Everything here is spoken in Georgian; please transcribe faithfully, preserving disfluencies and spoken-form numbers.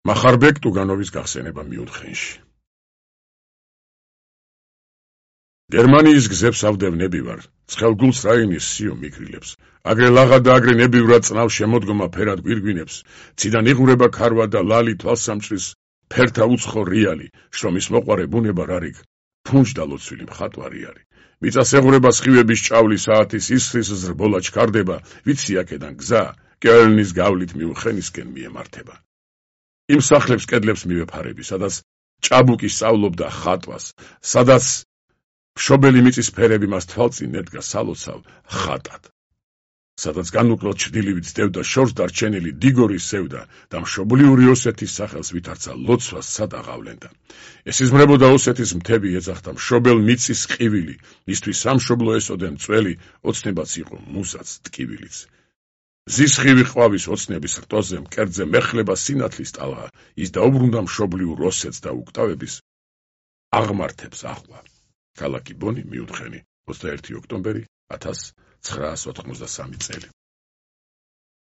მახარბეკ ტუგანოვის გახსენება მიუთხენში. გერმანიის გზებს ავდევნები ვარ, ცხელგულს რაინის სიო მიგრილებს, აგრე ლაღა და აგრე ნებივრად წნავ შემოდგომა ფერად გვირგვინებს, ციდან იღურება ქარვა და ლალი თვალსამჭრის, ფერთა უცხო რიალი, შრომის მოყვარე ბუნება რარიგ, ფუნჯდა ლოცვილი მხატვარი არის. მიწას ეღურება სხივების ჭავლი საათის ისხრის ზრბოლა ჩქარდება, ვიცი აქედან გზა, კელნის გავლით მიუხენისკენ მიემართება. იმ სახლებს კედლებს მივეფარები, სადაც ჭაბუკი სწავლობდა ხატვას, სადაც მშობელი მიწის ფერები მას თვალწინ ედგა სალოცავ ხატად. სადაც განუკლოდ ჩრდილივით სდევდა შორს დარჩენილი დიგორის სევდა და მშობლიური ოსეთის სახელს ვითარცა ლოცვას სად აღავლენდა. ესიზმრებოდა ოსეთის მთები ეძახდა მშობელ მიწის ყივილი, მისთვის სამშობლო ესოდენ წველი, ოცნებაც იყო მუსაც ტკივილიც. ზისხივი ყვავის ოცნების რტოზე მკერდზე მეხლება სინათლის ტალღა, ის დაუბრუნდა მშობლიურ ოსეთს და უკტავების აღმართებს ახლა. ქალაქი ბონი მიუთხენი ოცდაერთი ოქტომბერი ათას ცხრაას ოთხმოცდასამი წელი.